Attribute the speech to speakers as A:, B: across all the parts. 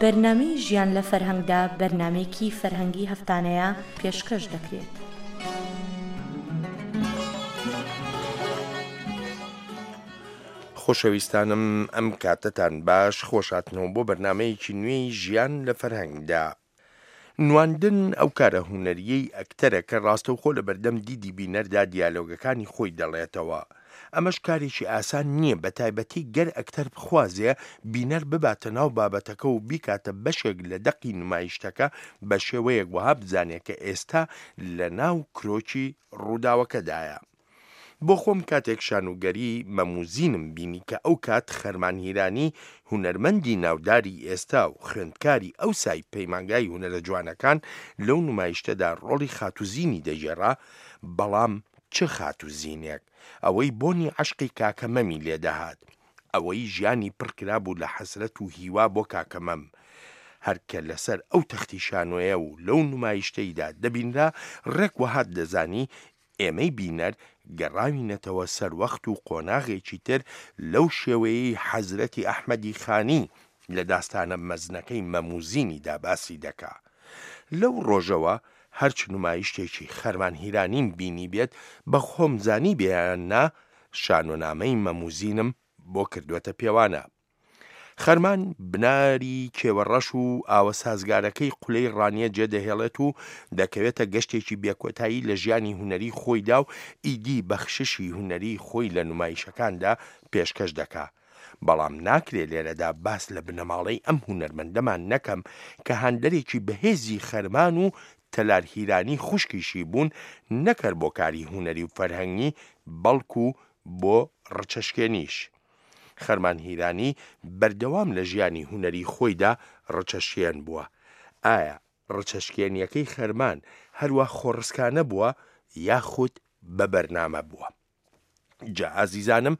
A: بەرنامەی ژیان لە فەرهەنگدا بەرنامەیەکی فەرهەنگی هەفتانەیە پێشکەش دەکرێت.
B: خۆشەویستانم ئەم کاتەتان باش خۆشهاتنەوە بۆ بەرنامەیەکی نوێی ژیان لە فەرهەنگدا. نواندن ئەو کارە هونەرییەی ئەکتەرە کە ڕاستەوخۆ لە بەردەم دیدی بینەردا دیالۆگەکانی خۆی دەڵێتەوە. ئەمەش کارێکی ئاسان نییە بە تایبەتی گەر ئەکتەر بخوازێ بینەر بباتە ناو بابەتەکە و بیکاتە بەشێک لە دەقی نمایشتەکە بە شێوەیەک وەها بزانێ کە ئێستا لە ناو کرۆکی ڕووداوەکەدایە. بۆ خۆم کاتێک شانوگەری مەموزینم بینی کە ئەو کات خەرمان هیرانی هونەرمەندی ناوداری ئێستا و خوێندکاری ئەوسای پەیمانگای هونەرە جوانەکان لەو نمایشتەدا ڕۆڵی خاتوزینی دەگێڕا، بەڵام چ خاتوزینێک! ئەوەی بۆنی عەشقی کاکە مەمی لێ دەهات. ئەوەی ژیانی پڕ کرابوو لە حەسرەت و هیوا بۆ کاکە مەم. هەر کە لەسەر ئەو تەختی شانۆیە و لەو نمایشتەیدا دەبینرا، ڕێک وەهات دەزانی ئێمەی بینەر گەڕاوینەتەوە سەر وەخت و قۆناغێکی تر لەو شێوەیەی حەزرەتی ئەحمەدی خانی لە داستانە مەزنەکەی مەم و زینیدا باسی دەکا. لەو ڕۆژەوە هەرچ نمایشتێکی خەرمان هیرانیم بینیبێت بە خۆم زانیبێ یان نا شانۆنامەی مەم و زینم بۆ کردووەتە پێوانە. خەرمان بناری کێوەڕەش و ئاوە سازگارەکەی قولەی ڕانیە جێدەهێڵێت و دەکەوێتە گەشتێکی بێکۆتایی لە ژیانی هونەری خۆیدا و ئیدی بەخششی هونەری خۆی لە نمایشەکاندا پێشکەش دەکا. بەڵام ناکرێ لێرەدا باس لە بنەماڵەی ئەم هونەرمەندەمان نەکەم کە هاندەرێکی بەهێزی خەرمان و تەلار هیرانی خوشکیشی بوون نەک هەر بۆ کاری هونەری و فەرهەنگی بەڵکو بۆ ڕچەشکێنیش. خەرمان هیرانی بەردەوام لە ژیانی هونەری خۆیدا ڕچەشکێن بووە. ئایا ڕچەشکێنییەکەی خەرمان هەروا خۆڕسکانە بووە یاخود بە بەرنامە بووە؟ جا ئازیزانم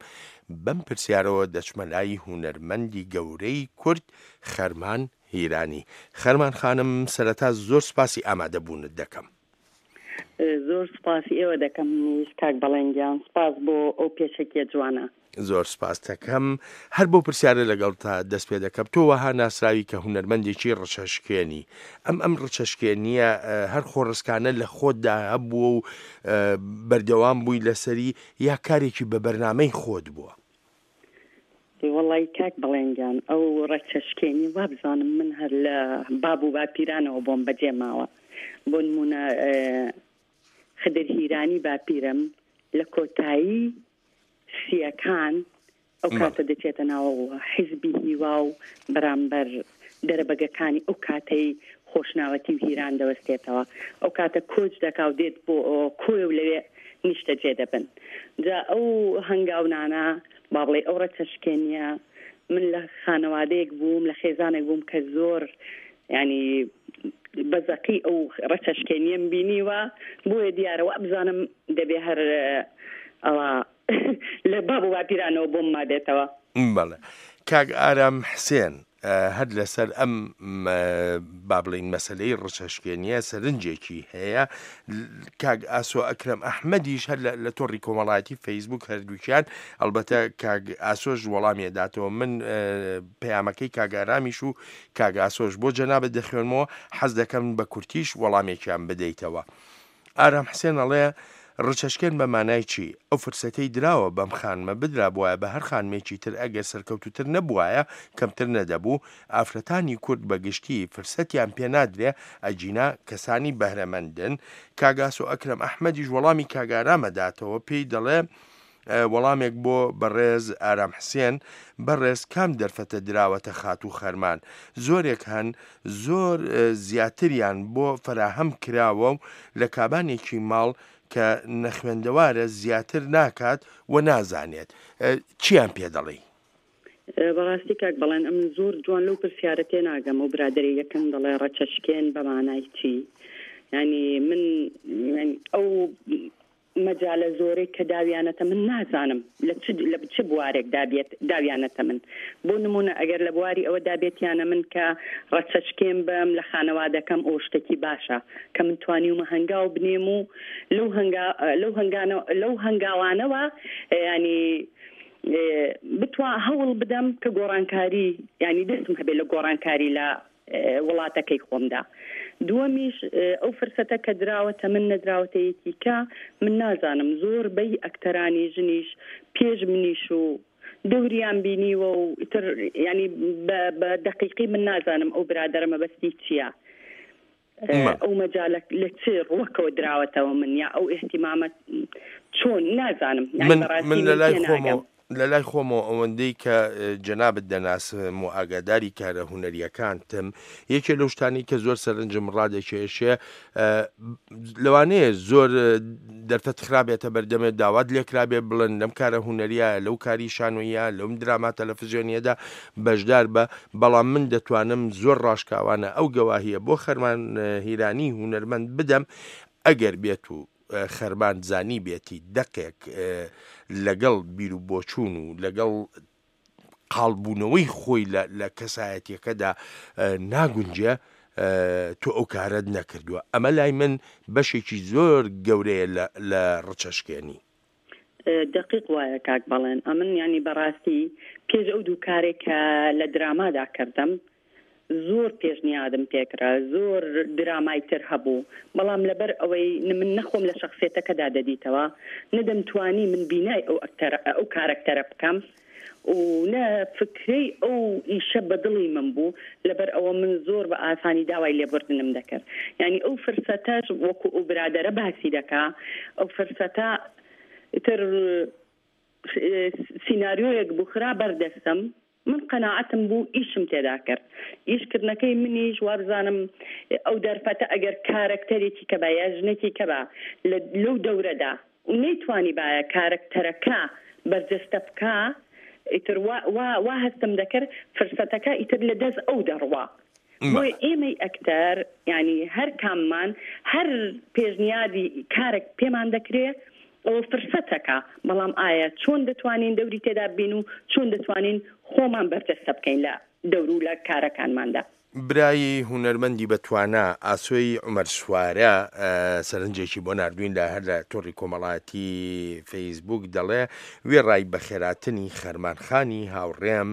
B: بەم پرسیارەوە دەچمە لای هونەرمەندی گەورەی کورد خەرمان هیرانی. خەرمان خانم سەرەتا زۆر سوپاسی ئامادەبوونت دەکەم.
C: زۆر سوپاسی ئێوە دەکەم منیش کاک بەڵێن گیان سوپاس بۆ ئەو پێشەکیە جوانە.
B: زۆر سوپاستەکەم هەر بەو پرسیارە لەگەڵتا دەست پێ دەکەم تۆ وەها ناسراوی کە هونەرمەندێکی ڕچەشکێنی ئەم ئەم ڕچەشکێنیە هەر خۆڕسکانە لە خۆتدا هەبووە و بەردەوام بووی لەسەری یا کارێکی بە بەرنامەی خۆت بووە؟
C: وەڵی کاک بەڵێن گیان ئەو ڕەچەشکێنی وابزانم من هەر لە باب و باپیرانەوە بۆم بەجێ ماوە بۆ نمونە خدر هیرانی باپیرم لە کۆتایی سیەکان ئەو کاتە دەچێتە ناو حیزبی هیوا و بەرامبەر دەرەبەگەکانی ئەو کاتەی خۆشناوەتی و هیران دەوەستێتەوە ئەو کاتە کۆچ دەکا و دێت بۆ کۆیە و لەوێ نیشتەجێ دەبن جا ئەو هەنگاونانە با بڵێ ئەو ڕەچەشکێنیە من لە خانەوادەیەک بووم لە خێزانێک بووم کە زۆر ینی بەزەقی ئەو ڕەچەشکێنیەم بینیوە بۆیە دیارە وابزانم دەبێ هەر ئەوە لە باب و باپیرانەوە بۆم مابێتەوە.
B: بەڵێ کاک ئارام حسێن هەر لەسەر ئەم با بڵێین مەسەلەی ڕچەشکێنیە سەرنجێکی هەیە کاک ئاسۆ ئەکرەم ئەحمەدیش هەر لە تۆڕی کۆمەڵایەتی فەیسبوک هەردووکیان ئەلبەتە کاک ئاسۆش وەڵامی داتەوە من پەیامەکەی کاک ئارامیش و کاک ئاسۆش بۆ جەنابت دەخوێنمەوە حەز دەکەم بە کورتیش وەڵامێکیان بدەیتەوە. ئارام حسێن ئەڵێ، ڕچەشکێن بە مانای چی؟ ئەو فرسەتەی دراوە بەم خانمە بدرابوایە بە هەر خانمێکی تر ئەگەر سەرکەوتووتر نەبوایە کەمتر نەدەبوو، ئافرەتانی کورد بە گشتی فرسەتیان پێ نادرێ ئەگینا کەسانی بەهرەمەندن. کاک ئاسۆ ئەکرەم ئەحمەدیش وەڵامی کاک ئارام ئەداتەوە پێی دەڵێ، وەڵامێک بۆ بەڕێز ئارام حسێن، بەڕێز کام دەرفەتە دراوەتە خاتوو خەرمان؟ زۆرێک هەن زۆر زیاتریان بۆ فەراهەم کراوە و لە کابانێکی ماڵ کە نەخوێندەوارە زیاتر ناکات و نازانێت. چیان پێ دەڵێی؟
C: بەڕاستی کاک بەڵێن ئەمن زۆر جوان لەو پرسیارە تێناگەم ئەو برادەرەی یەکەم دەڵێ ڕەچەشکێن بە مانای چی؟ یانی من ئەو مەجالە زۆرەی کە داویانەتە من نازانم لە چ لە چ بوارێک دابێت داویانەتە من بۆ نمونە ئەگەر لە بواری ئەوە دابێتیانە من کە ڕەچەشکێن بم لە خانەوادەکەم ئەو شتێکی باشە کە من توانیومە هەنگاو بنێم و لەو هەنگا لەو هەنگانە لەو هەنگاوانەوە ینی بتوا هەوڵ بدەم کە گۆڕانکاری ینی دەستم هەبێت لە گۆڕانکاری لە. وڵاتەکەی خۆمدا. دووەمیش ئەو فرسەتە کە دراوەتە من نەدراوەتە یەکی کە، من نازانم زۆر بەی ئەکتەرانی ژنیش پێش منیش و دەوریان بینیوە و ئیتر یانی بە بە دەقیقی من نازانم ئەو برادەرە مەبەستی چییە. ئەو مەجالە لە چ ڕووەکەوە دراوەتەوە من یا ئەو ئیهتیمامە چۆن نازانم یانی
B: من
C: بەڕاستی
B: من
C: من
B: لە لای
C: تێناگەم.
B: خۆمەوە لە لای خۆمەوە ئەوەندەی کە جەنابت دەناسم و ئاگاداری کارە هونەرییەکانتم یەکێ لەو شتانەی کە زۆر سەرنجم ڕادەکێشێ لەوانەیە زۆر دەرفەت خرابێتە بەردەمێت داوات لێکرابێ بڵێن لەم کارە هونەریە لەو کاری شانۆیە لەم دراما تەلەفزیۆنیەدا بەشدار بە بەڵام من دەتوانم زۆر ڕاشکاوانە ئەو گەواهیە بۆ خەرمان هیرانی هونەرمەند بدەم ئەگەر بێت و خەرمان زانی بێتی دەقێک لەگەڵ بیر و بۆچوون و لەگەڵ قاڵبوونەوەی خۆی لە کەسایەتیەکەدا ناگونجێ تۆ ئەو کارەت نەکردووە ئەمە لای من بەشێکی زۆر گەورەیە لە ڕچەشکێنی.
C: دەقیق وایە کاک بەڵێن ئەمن یانی بەڕاستی پێش ئەو دوو کارێک کە لە درامادا کردم زۆر پێشنیادم پێکرا زۆر درامای تر هەبوو بەڵام لەبەر ئەوەی من نەخۆم لە شەخسیەتەکەدا دەدیتەوە نە دەمتوانی من بینای ئەو ئەکتەرە ئەو کارەکتەرە بکەم و نە فکرەی ئەو ئیشە بە دڵی من بوو لەبەر ئەوە من زۆر بە ئاسانی داوای لێبوردنم دەکرد یانی ئەو فرسەتەش وەکو ئەو برادەرە باسی دەکا ئەو فرسەتە تر سیناریۆیەک بوو خرا بەر دەستم من قەناعەتم بوو ئیشم تێدا کرد ئیش کردنەکەی منیش وابزانم ئەو دەرفەتە ئەگەر کارەکتەرێکی کەبا یا ژنێکی کەبا لەو دەورەدا و نەیتوانیبایە کارەکتەرەکە بەرجەستە بکا ئیتر وا وا وا هەستم دەکرد فرسەتەکە ئیتر لە دەست ئەو دەڕوا بۆیە ئێمەی ئەکتەر یانی هەر کاممان هەر پێشنیادی کارێک پێمان دەکرێ ئەوە فرسەتەکە بەڵام ئایا چۆن دەتوانین دەوری تێدا بین و چۆن دەتوانین خۆمان بەرجەستە بکەین لە دەور و لە کارەکانماندا.
B: برای هونەرمەندی بەتوانا ئاسۆی عومەر سوارە سەرنجێکی بۆ ناردوین لە هەر لە تۆڕی کۆمەڵایەتی فەیسبوک دەڵێ وێڕای بەخێراتنی خەرمان خانی هاوڕێم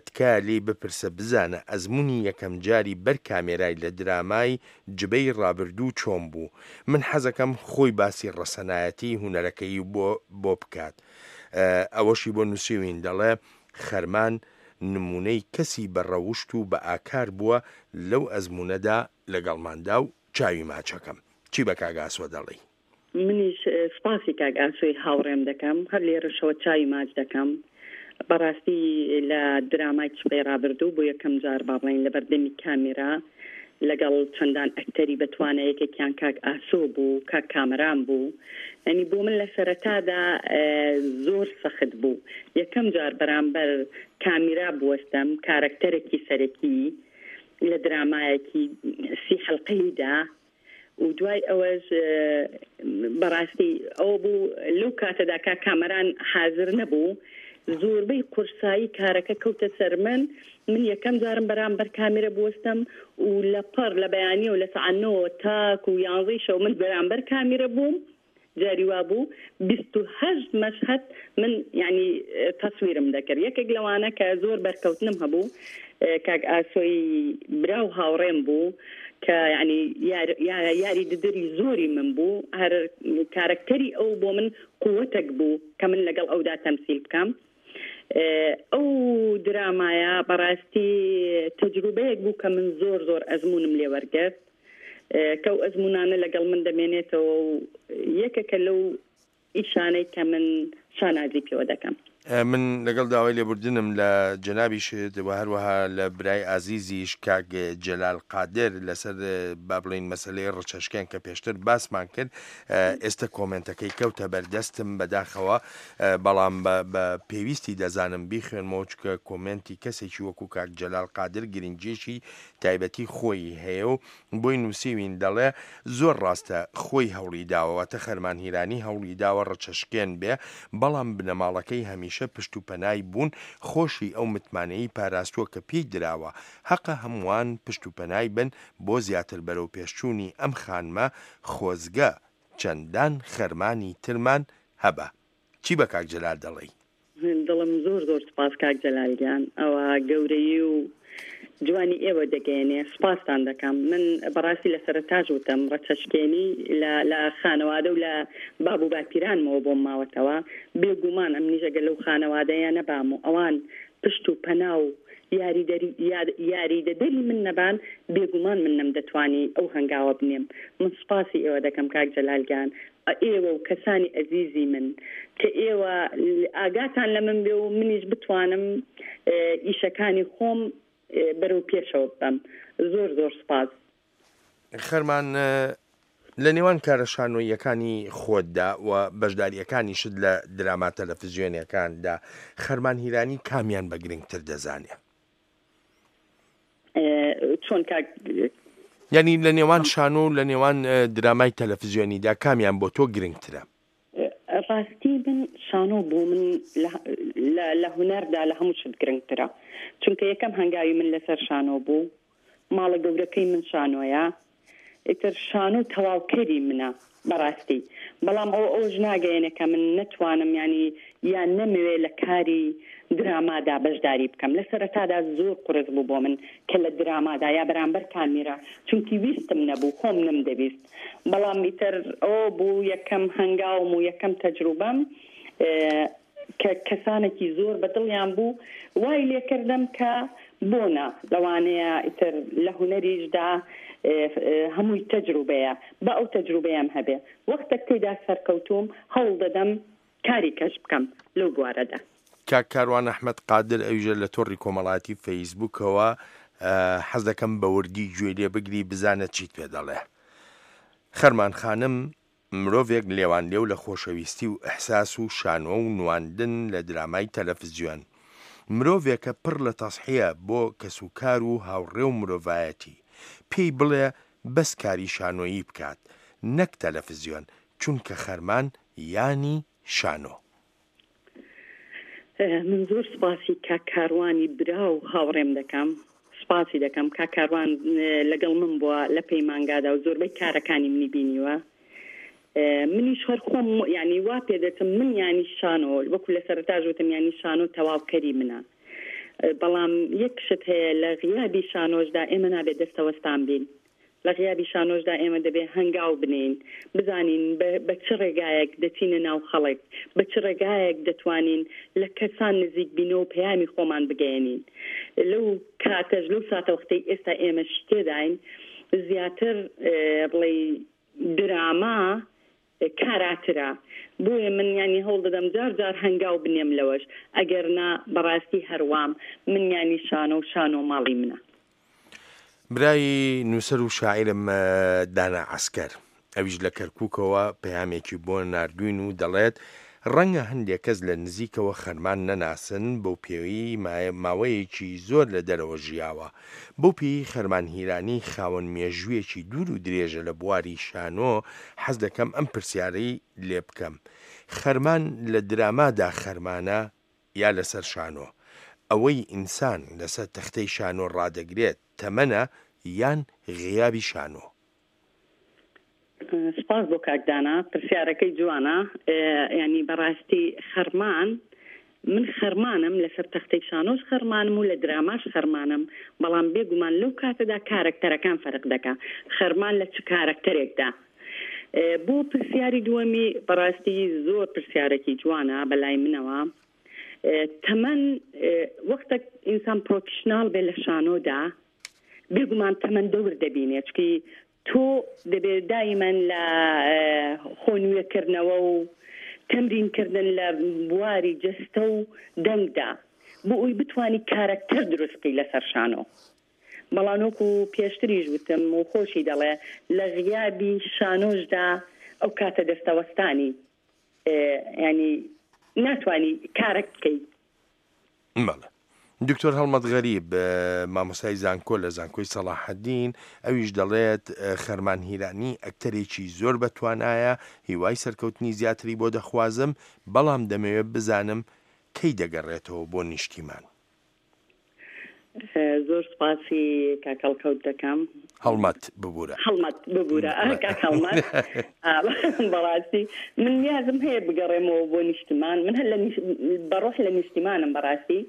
B: تکایە لێی بپرسە بزانە ئەزمونی یەکەم جاری بەر کامێرای لە درامای جبەی ڕابردوو چۆن بوو من حەزەکەم خۆی باسی ڕەسەنایەتی هونەرەکەی بۆ بۆ بکات ئەوەشی بۆ نوسیوین دەڵێ خەرمان نمونەی کەسی بە ڕەوشت و بە ئاکار بووە لەو ئەزمونەدا لەگەڵماندا و چاوی ماچەکەم. چی بە کاک ئاسۆ دەڵێی؟
C: منیش سوپاسی کاک ئاسۆی هاوڕێم دەکەم، هەر لێرەشەوە چاوی ماچ دەکەم. بەڕاستی لە درامای چپەی ڕابردوو بۆ یەکەم جار با بڵێین لەبەردەمی کامیرا لەگەڵ چەندان ئەکتەری بەتوانا یەکێکیان کاک ئاسۆ بوو، کاک کامەران بوو. یانی بۆ من لە سەرەتادا زۆر سەخت بوو یەکەم جار بەرامبەر کامیرا بوەستم، کارەکتەرێکی سەرەکی لە درامایەکی سی حەلقەییدا و دوای ئەوەش بەڕاستی ئەوە بوو لەو کاتەدا کاک کامەران حازر نەبوو زۆربەی قورسایی کارەکە کەوتە سەر من من یەکەم جارم بەرامبەر کامێرە بوەستم و لە پەڕ لە بەیانیەوە لە سەعات نۆوە تاکو یانزەی شەو من بەرامبەر کامیرە بووم جاری وابوو 28 مەشهەد من یعنی تەسویرم دەکرد یەکێک لەوانە کە زۆر بەرکەوتنم هەبوو کاک ئاسۆی برا و هاوڕێم بوو کە یعنی یاری ددری زۆری من بوو هەر کارەکتەری ئەو بۆ من قوتێک بوو کە من لەگەڵ ئەودا تەمسیل بکەم ئەو درامایە بەڕاستی تەجروبەیەک بوو کە من زۆر زۆر ئەزموونم لێ وەرگرت کە ئەو ئەزموونانە لەگەڵ من دەمێنێتەوە و یەکێکە لەو ئیشانەی کە من شانازی پێوە دەکەم.
B: من لەگەڵ داوای لێبوردنم لە جەنابیشت و هەروەها لە برای ئازیزیش کاک جەلال قادر لەسەر با بڵێین مەسەلەی ڕچەشکێن کە پێشتر باسمان کرد ئێستە کۆمێنتەکەی کەوتە بەردەستم بەداخەوە بەڵام بە پێویستی دەزانم بیخوێنمەوە چونکە کۆمێنتی کەسێکی وەکو کاک جەلال قادر گرنگیەکی تایبەتی خۆی هەیە و بۆی نووسیوین دەڵێ زۆر ڕاستە خۆی هەوڵی داوە واتە خەرمان هیرانی هەوڵی داوە ڕچەشکێن بێ بەڵام بنەماڵەکەی هەمیشە پشت و پەنای بوون خۆشی ئەو متمانەی پاراستووە کە پێی دراوە هەقە هەمووان پشت و پەنای بن بۆ زیاتر بەرەوپێشچوونی ئەم خانمە خۆزگە چەندان خەرمانی ترمان هەبا. چی بە کاک جەلال دەڵێی؟
C: دڵم زۆر زۆر سوپاس کاک جەلال گیان ئەوە گەورەیی و. جوانی ئێوە دەگەیەنێ سوپاستان دەکەم من بەڕاستی لە سەرەتاش وتم ڕەچەشکێنی لە لە خانەوادە و لە باب و باپیرانمەوە بۆم ماوەتەوە بێگومان ئەمنیش ئەگەر لەو خانەوادەیە نەبام و ئەوان پشت و پەنا و یاریدەری یاریدەدەری من نەبان بێگومان من نەمدەتوانی ئەو هەنگاوە بنێم من سوپاسی ئێوە دەکەم کاک جەلال گیان ئێوە و کەسانی ئەزیزی من کە ئێوە ئاگاتان لە من بێ و منیش بتوانم ئیشەکانی خۆم بەرەو پێشەوە ببەم زۆر زۆر سوپاس.
B: خەرمان لە نێوان کارە شانۆییەکانی خۆتدا و بەشدارییەکانیشت لە دراما تەلەفزیۆنیەکاندا خەرمان هیرانی کامیان بە گرنگتر دەزانێ؟
C: چۆن کاک؟
B: یانی لە نێوان شانۆ و لە نێوان درامای تەلەفزیۆنیدا کامیان بۆ تۆ گرنگترە؟
C: ڕاستی من شانۆ بۆ من لە هونەردا لە هەموو شت گرنگترە چونکە یەکەم هەنگاوی من لەسەر شانۆ بوو ماڵە گەورەکەی من شانۆیە ئیتر شانۆ تەواوکەری منە بەڕاستی بەڵام ئەوە ئەوەش ناگەیەنێ کە من نەتوانم یانی یان نەمەوێ لە کاری درامادا بەشداری بکەم لە سەرەتادا زۆر قورس بوو بۆ من کە لە درامادا یا بەرامبەر کامیرا چونکی ویستم نەبوو خۆم نەمدەویست بەڵام ئیتر ئەوە بوو یەکەم هەنگاوم و یەکەم تەجروبەم کە کەسانێکی زۆر بە دڵیان بوو وای لێکردم کە بۆ نا لەوانەیە ئیتر لە هونەریشدا هەمووی تەجروبەیە با ئەو تەجروبەیەم هەبێ وەختێک تێیدا سەرکەوتووم هەوڵ دەدەم کاری کەش بکەم لەو بوارەدا.
B: کاک کاروان ئەحمەد قادر ئەویشە لە تۆڕی کۆمەڵایەتی فەیسبووکەوە حەز دەکەم بە وردی گوێی لێ بگری بزانە چیت پێ دەڵێ. خەرمان خانم مرۆڤێک لێوانلێو لە خۆشەویستی و ئیحساس و شانۆ و نواندن لە درامای تەلەفزیۆن. مرۆڤێکە پڕ لە تەزحیە بۆ کەسوکار و هاوڕێ و مرۆڤایەتی. پێی بڵێ بەس کاری شانۆیی بکات نەک تەلەفزیۆن چونکە خەرمان یانی شانۆ.
C: من زۆر سوپاسی کاک کاروانی برا و هاوڕێم دەکەم سوپاسی دەکەم کاک کاروان لەگەڵ من بووە لە پەیمانگادا و زۆربەی کارەکانی منی بینیوە منیش هەر خۆم ینی وا پێدەچم من ینی شانۆ وەکو لە سەرتاش وتم ینی شانۆ تەواوکەری منە بەڵام یەک شت هەیە لە غیابی شانۆشدا ئێمە نابێت دەستەوەستان بین لە غیابی شانۆشدا ئێمە دەبێ هەنگاو بنێین، بزانین بە بە چ ڕێگایەک دەچینە ناو خەڵک، بە چ ڕێگایەک دەتوانین لە کەسان نزیک بینەوە و پەیامی خۆمان بگەیەنین. لەو کاتەش، لەو ساتەوەختەی ئێستا ئێمەش تێداین، زیاتر بڵێی دراما کاراترە، بۆیە من یانی هەوڵ دەدەم جار جار هەنگاو بنێم لەوەش، ئەگەر نا بەڕاستی هەروام، من یانی شانۆ و شانۆ ماڵی منە.
B: برای نووسەر و شاعیرم دانا عەسکەر، ئەویش لە کەرکووکەوە پەیامێکی بۆ ناردووین و دەڵێت، ڕەنگە هەندێک کەس لە نزیکەوە خەرمان نەناسن، بەو پێیەی ماوەیەکی زۆر لە دەرەوە ژیاوە. بەو پێیەی خەرمان هیرانی خاوەن مێژوویەکی دوور و درێژە لە بواری شانۆ، حەز دەکەم ئەم پرسیارەی لێ بکەم، خەرمان لە درامادا خەرمانە یا لەسەر شانۆ؟ ئەوەی ئینسان لەسەر تەختەی شانۆ ڕادەگرێت تەمەنە یان غیابی شانۆ؟
C: سپاس بۆ کاک دانا پرسیارەکەی جوانە یانی بەڕاستی خەرمان من خەرمانم لەسەر تەختەی شانۆش خەرمانم و لە دراماش خەرمانم بەڵام بێگومان لەو کاتەدا کارەکتەرەکان فەرق دەکا خەرمان لە چ کارەکتەرێکدا بۆ پرسیاری دووەمی بەڕاستی زۆر پرسیارێکی جوانە بەلای منەوە تەمەن وەختێک ئینسان پرۆفیشناڵ بێ لە شانۆدا بێگومان تەمەن دەور دەبینێ چکی تۆ دەبێ دایمەن لە خۆ نوێکردنەوە و تەمرین کردن لە بواری جەستە و دەنگدا بۆ ئەوی بتوانی کارەکتەر دروست بکەی لەسەر شانۆ. بەڵام وەکو پێشتریش وتم و خۆشی دەڵێ لە غیابی شانۆشدا ئەو کاتە دەستەوەستانی یانی ناتوانی کارەک بکەی.
B: بەڵێ. دکتۆر هەڵمەت غەریب، مامۆستای زانکۆ لە زانکۆی سەڵاحەدین، ئەویش دەڵێت، خەرمان هیرانی ئەکتەرێکی زۆر بەتوانایە، هیوای سەرکەوتنی زیاتری بۆ دەخوازم، بەڵام دەمەوێت بزانم کەی دەگەڕێتەوە بۆ نیشتیمان؟
C: زۆر سوپاسی کاک هەڵکەوت دەکەم.
B: هەڵمەت ببورە.
C: هەڵمەت ببورە کاک هەڵمەت. بەڕاستی من نیازم هەیە بگەڕێمەوە بۆ نیشتمان من هەر لە بە ڕۆح لە نیشتیمانم بەڕاستی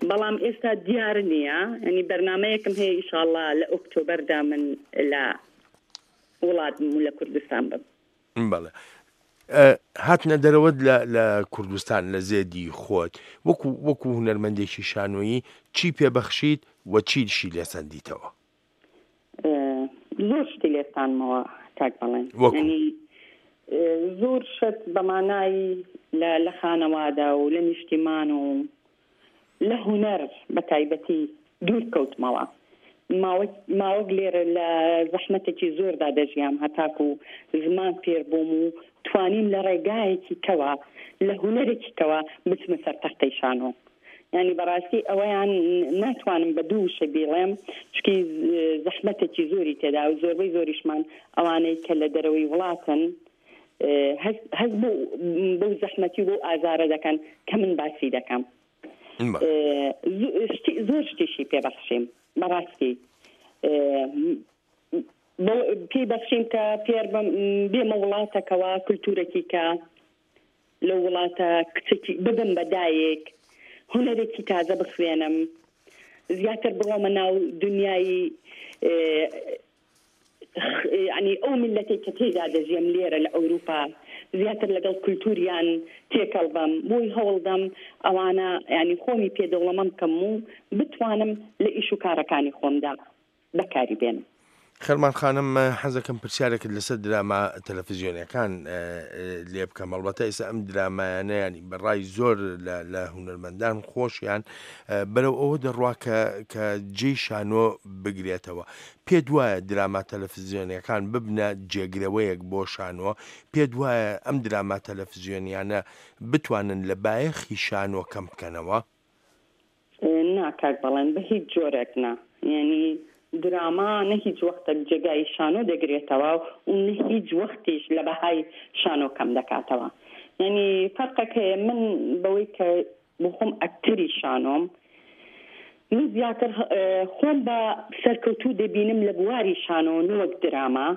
C: بەڵام ئێستا دیار نییە ینی بەرنمەیەکم هەیە ئیشاڵڵا لە ئۆکتۆبەردا من لە وڵات بم و لە کوردستان بم.
B: بەڵێ هاتنە دەرەوەت لە لە کوردستان لە زێدی خۆت وەکو وەکو هونەرمەندێکی شانۆیی چی پێبەخشیت و چیشی لێ سەندیتەوە؟
C: زۆر شتی لێ ساندمەوە کاک بەڵێن یانی زۆر شت بە مانای لە لە خانەوادە و لە نیشتیمان و لە هونەر بە تایبەتی دوور کەوتمەوە. ماوەک ماوەک لێرە لە زەحمەتێکی زۆردا دەژیام هەتاکوو زمان فێر بووم و توانیم لە ڕێگایەکی کەوە لە هونەرێکی کەوە بچمە سەر تەختەی شانۆ. یانی بەڕاستی ئەوەیان ناتوانم بە دوو وشە بیڵێم چونکی زەحمەتێکی زۆری تێدا و زۆربەی زۆریشمان ئەوانەی کە لە دەرەوەی وڵاتن هەست هەست بەو بەو زەحمەتی و بەو ئازارە دەکەن کە من باسی دەکەم. زۆر شتیشی پێ بەخشیم بەڕاستی پێی بەخشیم کە فێر بێمە وڵاتەکەوە کولتورەکی کە لەو وڵاتە کچێکی ببم بە دایک هونەرێکی تازە بخوێنم زیاتر بڕۆمە ناو دنیای یانی ئەو میللەتەی کە تێیدا دەژیەم لێرە لە ئەوروپا زیاتر لەگەڵ کولتوریان تێکەڵ بم بۆی هەوڵدەم ئەوانە یانی خۆمی پێ دەوڵەمەند بکەم و بتوانم لە ئیش و کارەکانی خۆمدا بەکاری بێنم.
B: خەرمان خانم حەزەکەم پرسیارێکت لەسەر دراما تەلەفزیۆنیەکان لێ بکەم ئەڵبەتە ئێستا ئەم درامایانە ینی بەڕای زۆر لە هونەرمەندان خۆشیان بەرەو ئەوە دەڕوا کە کە جێی شانۆ بگرێتەوە پێت وایە دراما تەلەفزیۆنیەکان ببنە جێگرەوەیەک بۆ شانۆ؟ پێت وایە ئەم دراما تەلەفزیۆنیانە بتوانن لە بایەخی شانۆ کەم بکەنەوە؟
C: نا کاک بەڵێن بە هیچ جۆرێک نا یانی دراما نە هیچ وەختێک جێگای شانۆ دەگرێتەوە و نە هیچ وەختیش لە بەهای شانۆ کەم دەکاتەوە یانی فەرقێک هەیە من بەوەی کە بۆ خۆم ئەکتەری شانۆم من زیاتر خۆم بە سەرکەوتوو دەبینم لە بواری شانۆ نەوەک دراما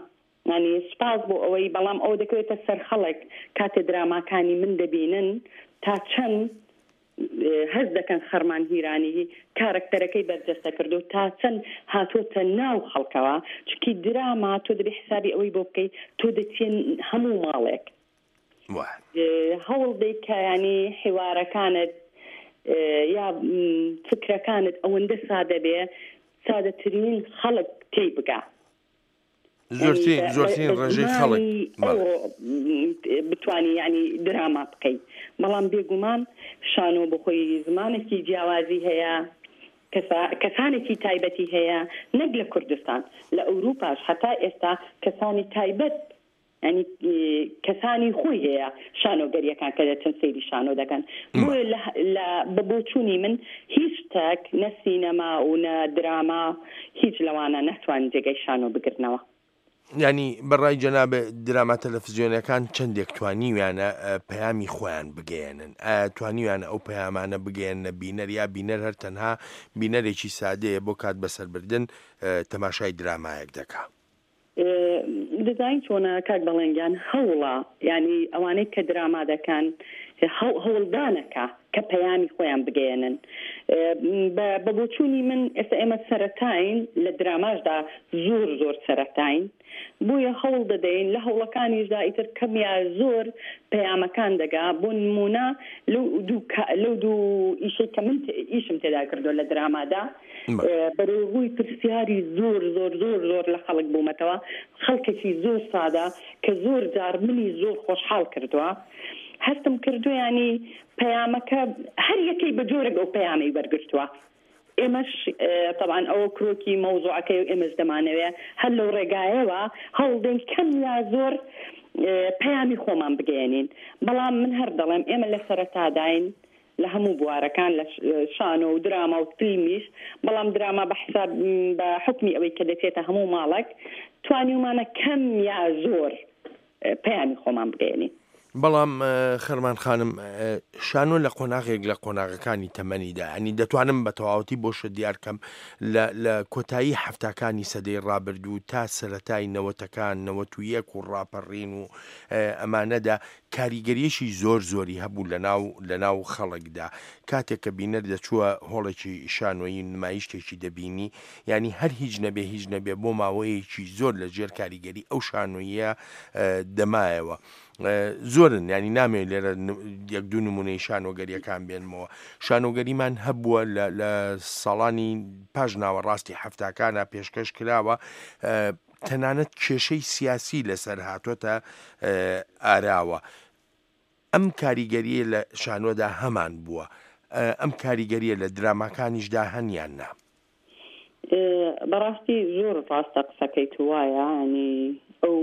C: یانی سوپاس بۆ ئەوەی بەڵام ئەوە دەکەوێتە سەر خەڵک کاتێ دراماکانی من دەبینن تا چەند هەست دەکەن خەرمان هیرانی کارەکتەرەکەی بەرجەستە کردو تا چەند هاتۆتە ناو خەڵکەوە چونکی دراما تۆ دەبێ حسابی ئەوەی بۆ بکەی تۆ دەچیە هەموو ماڵێک هەوڵ دەی کە یانی حیوارەکانت یا فکرەکانت ئەوەندە سادە بێ سادەترین خەڵک تێی بگا.
B: زۆرترین زۆرترین ڕێژەی خەڵک
C: بتانی ینی دراما بکەیت بەڵام بێگومان شانۆ بخۆی زمانێکی جیاوازی هەیە کەسانێکی تایبەتی هەیە نەک لە کوردستان لە ئەوروپاش هەتا ئێستا کەسانی تایبەت یانی کەسانی خۆی هەیە شانۆگەریەکان کە دەچن سەیری شانۆ دەکەن بۆیە لە لە بە بۆچوونی من هیچ شتێک نە سینەما و نە دراما هیچ لەوانە ناتوانن جێگای شانۆ بگرنەوە.
B: یانی بە ڕای جەنابت دراما تەلەفزیۆنەکان چەندێک توانیویانە پەیامی خۆیان بگەیەنن؟ ئایا توانیویانە ئەو پەیامانە بگەیەننە بینەر یا بینەر هەر تەنها بینەرێکی سادەیە بۆ کات بەسەربردن تەماشای درامایەک دەکا؟
C: دەزانی چۆنە کاک بەڵێن گیان هەوڵە یانی ئەوانەی کە دراما دەکەن هەوڵدانەکە کە پەیامی خۆیان بگەیەنن بە بۆچوونی من ئێستا ئێمە سەرەتاین لە دراماشدا زۆر زۆر سەرەتاین بۆیە هەوڵ دەدەین لە هەوڵەکانیشدا ئیتر کەم یا زۆر پەیامەکان دەگا بۆ نمونە لەو دوو لەو دوو ئیشەی کە من ئیشم تێدا کردو لە درامادا بەرەو ڕووی پرسیاری زۆر زۆر زۆر زۆر لە خەڵک بوومەتەوە، خەڵکێکی زۆر سادە کە زۆر جار منی زۆر خۆشحاڵ کردووە، هەستم کردووە یانی پەیامەکە هەر یەکەی بە جۆرێک ئەو پەیامەی وەرگرتووە، ئێمەش تەبعەن ئەوە کرۆکی مەوزوعەکەی و ئێمەش دەمانەوێ هەر لەو ڕێگایەوە هەوڵدەین کەم یا زۆر پەیامی خۆمان بگەیەنین، بەڵام من هەر دەڵێم ئێمە لە سەرەتاداین لە هەموو بوارەکان لە شانۆ و دراما و فیلمیش، بەڵام دراما بە حساب بە حوکمی ئەوەی کە دەچێتە هەموو ماڵەک توانیومانە کەم یا زۆر پەیامی خۆمان بگەیەنین.
B: بەڵام خەرمان خانم شانۆ لە قۆناغێک لە قۆناغەکانی تەمەنیدا ینی دەتوانم بە تەواوەتی بۆشە دیارکەم لە کۆتایی حەفتاکانی سەدەی ڕابردوو تا سەرەتای نەوەتەکان 91 و ڕاپەڕین و ئەمانەدا کاریگەریەکی زۆر زۆری هەبوو لە ناو لە ناو خەڵکدا کاتێک کە بینەر دەچووە هۆڵێکی شانۆیی نمایشتێکی دەبینی یانی هەر هیچ نەبێ هیچ نەبێ بۆ ماوەیەکی زۆر لە ژێر کاریگەری ئەو شانۆییە دەمایەوە زۆرن ینی نامێ لێرە یەک دوو نمونەی شانۆگەریەکان بێنمەوە شانۆگەریمان هەبووە لە ساڵانی پاش ناوەڕاستی حەفتاکانە پێشکەش کراوە تەنانەت کێشەی سیاسی لەسەر هاتۆتە ئاراوە ئەم کاریگەریە لە شانۆدا هەمان بووە ئەم کاریگەریە لە دراماکانیشدا هەن یان نا؟
C: بەڕاستی زۆر ڕاستە قسەکەی تو وایە ینی ئەو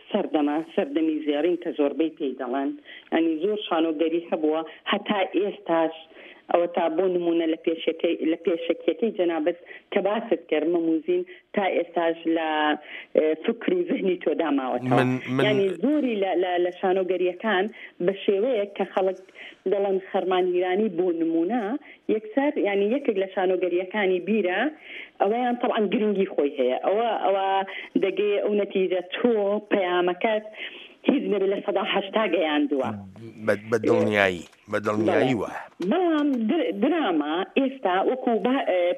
C: سەردەمە سەردەمی زێڕین کە زۆربەی پێی دەڵێن ینی زۆر شانۆگەری هەبووە هەتا ئێستاش ئەوەتا بۆ نموونە لە پێشەکەی لە پێشەکیەکەی جەنابت کە باست کرد مەموزین تا ئێستاش لە فکر و زهنی تۆدا ماوەتەوە
B: من من
C: یانی زۆری لە لە لە شانۆگەریەکان بە شێوەیەک کە خەڵک دەڵێن خەرمان هیرانی بۆ نموونە یەکسەر یانی یەکێک لە شانۆگەریەکانی بیرە ئەوەیان تەبعەن گرنگی خۆی هەیە ئەوە ئەوە دەگەیە ئەو نەتیجە تۆ پەیامەکەت هیچ نەبێ 80% گەیاندووە.
B: بە بە دڵنیایی. بە دڵنیایی وایە.
C: بەڵام دراما ئێستا وەکو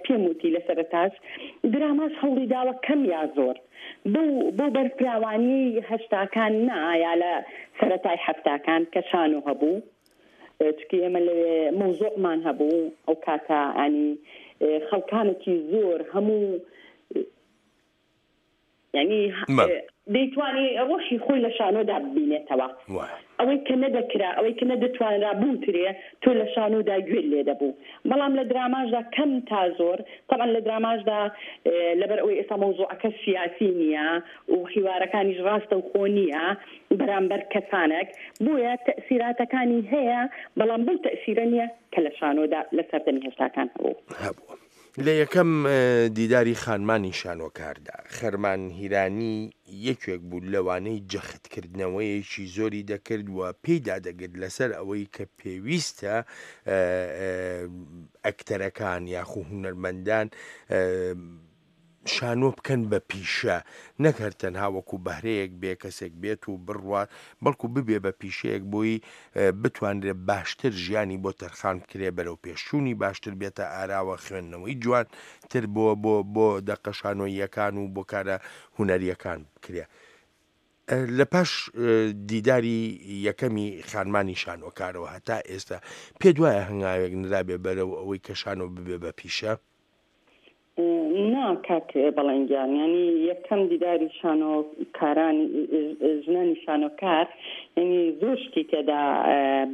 C: پێم وتی لە سەرەتاش دراماش هەوڵی داوە کەم یا زۆر بەو بەو بەرفراوانیەی هەشتاکان نا یا لە سەرەتای حەفتاکان کە شانۆ هەبوو چونکی ئێمە لەوێ مەوزوعمان هەبوو ئەو کاتە ینی خەڵکانێکی زۆر هەموو یانی دەیتوانی ڕۆحی خۆی لە شانۆدا ببینێتەوە. ئەوەی کە نەدەکرا، ئەوەی کە نەدەتوانرا بوترێ، تۆ لە شانۆدا گوێت لێ دەبوو. بەڵام لە دراماشدا کەم تا زۆر، تەبعەن لە دراماشدا لەبەر ئەوەی ئێستا مەوزوعەکە سیاسی نییە و حیوارەکانیش ڕاستەوخۆ نییە بەرامبەر کەسانێک، بۆیە تەئسیراتەکانی هەیە، بەڵام بەو تەئسیرە نییە کە لە شانۆدا لە سەردەمی هەشتاکان هەبوو.
B: هەبوو. لە یەکەم دیداری خانمانی شانۆکاردا، خەرمان هیرانی یەکێک بوو لەوانەی جەختکردنەوەیەکی زۆری دەکرد و پێی دادەگرت لەسەر ئەوەی کە پێویستە ئەکتەرەکان یاخو هونەرمەندان شانۆ بکەن بە پیشە، نەک هەر تەنها وەکو بەهرەیەک بێ کەسێک بێت و بڕوات، بەڵکو ببێ بە پیشەیەک بۆی بتوانرێ باشتر ژیانی بۆ تەرخان بکرێ، بەرەو پێشچوونی باشتر بێتە ئاراوە، خوێندنەوەی جوانتر بۆ بۆ بۆ دەقە شانۆییەکان و بۆ کارە هونەرییەکان بکرێ. لە پاش دیداری یەکەمی خانمانی شانۆکارەوە هەتا ئێستا پێت وایە هەنگاوێک نرابێ بەرەو ئەوەی کە شانۆ ببێ بە پیشە؟
C: نا کاک بەڵێن گیان یانی یەکەم دیداری شانۆکاران ژنانی شانۆکار یانی زۆر شتی تێدا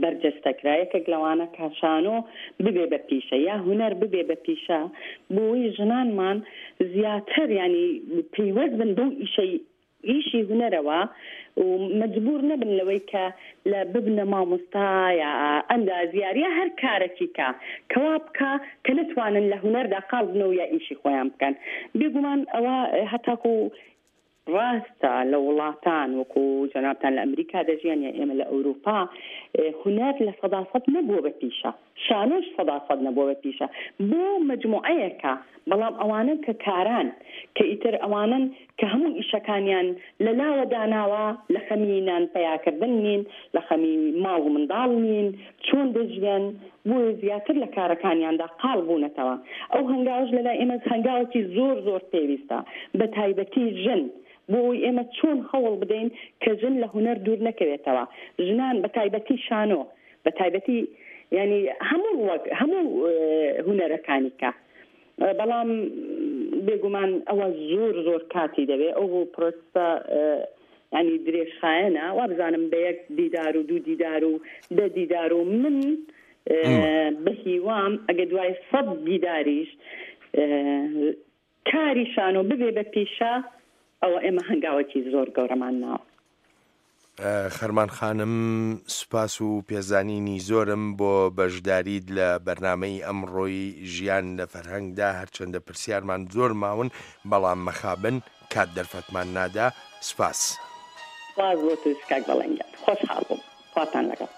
C: بەرجەستە کرا یەکێک لەوانە کە شانۆ ببێ بە پیشە یا هونەر ببێ بە پیشە بۆی ژنانمان زیاتر یانی پەیوەست بن بەو ئیشەی ئیشی هونەرەوە و مەجبوور نەبن لەوەی کە لە ببنە مامۆستا یا ئەندازیار یا هەر کارەکی کە کە وا بکا کە نەتوانن لە هونەردا قاڵ بنەوە یا ئیشی خۆیان بکەن بێگومان ئەوە هەتاکوو ڕاستە لە وڵاتان وەکوو جەنابتان لە ئەمریکا دەژیان یا ئێمە لە ئەورووپا هونەر 100% نەبووە بە پیشە. شانۆش سەدا سەد نەبووە بە پیشە بۆ مەجموعەیەکە بەڵام ئەوانەن کە کاران کە ئیتر ئەوانەن کە هەموو ئیشەکانیان لە لاوە داناوە لە خەمی نان پەیاکردن نین لە خەمی ماڵ و منداڵ نین چۆن دەژیەن بۆیە زیاتر لە کارەکانیاندا قاڵ بوونەتەوە ئەو هەنگاوەش لە لای ئێمە هەنگاوێکی زۆر زۆر پێویستە بە تایبەتی ژن بۆ ئەوەی ئێمە چۆن هەوڵ بدەین کە ژن لە هونەر دوور نەکەوێتەوە ژنان بە تایبەتی شانۆ بە تایبەتی یانی هەموو ڕوەک هەموو هونەرەکانی کە بەڵام بێگومان ئەوە زۆر زۆر کاتی دەوێ ئەو بۆ پرۆسە ینی درێژخایەنە وابزانم بە یەک دیدار و دوو دیدار و دە دیدار و من بە هیوام ئەگە دوای سەد دیداریش کاری شانۆ ببێ بە پیشە ئەوە ئێمە هەنگاوێکی زۆر گەورەمان ناوە.
B: خەرمان خانم سوپاس و پێزانینی زۆرم بۆ بەشداریت لە بەرنامەی ئەمڕۆی ژیان لە فەرهەنگدا هەرچەندە پرسیارمان زۆر ماون بەڵام مەخابن کات دەرفەتمان نادا سوپاس.
C: سوپاس بۆ تۆش کاک بەڵێن گیان خۆشحاڵ بووم. خواتان لەگەڵ.